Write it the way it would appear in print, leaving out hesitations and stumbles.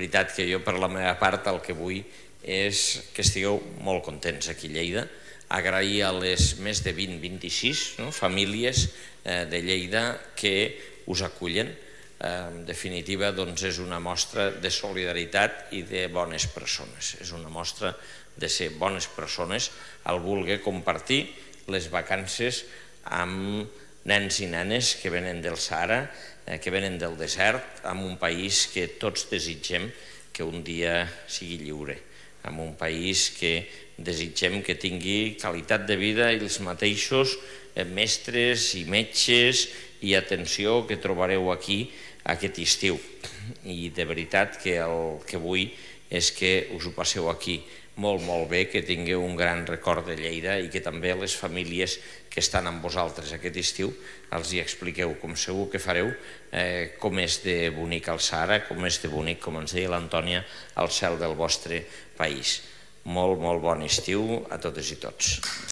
veritat que jo per la meva part el que vull és que estigueu molt contents aquí a Lleida, agrair a les més de 20-26 famílies de Lleida que us acullen. En definitiva, és una mostra de solidaritat i de bones persones. És una mostra de ser bones persones al voler compartir les vacances amb nens i nenes que venen del Sàhara, que venen del desert, en un país que tots desitgem que un dia sigui lliure, en un país que desitgem que tingui qualitat de vida i els mateixos mestres i metges i atenció que trobareu aquí aquest estiu. I de veritat que el que vull és que us ho passeu aquí molt, molt bé, que tingueu un gran record de Lleida i que també les famílies que estan amb vosaltres aquest estiu els hi expliqueu, com segur que fareu, com és de bonic el Sàhara, com és de bonic, com ens deia l'Antònia, el cel del vostre país. Molt, molt bon estiu a totes i tots.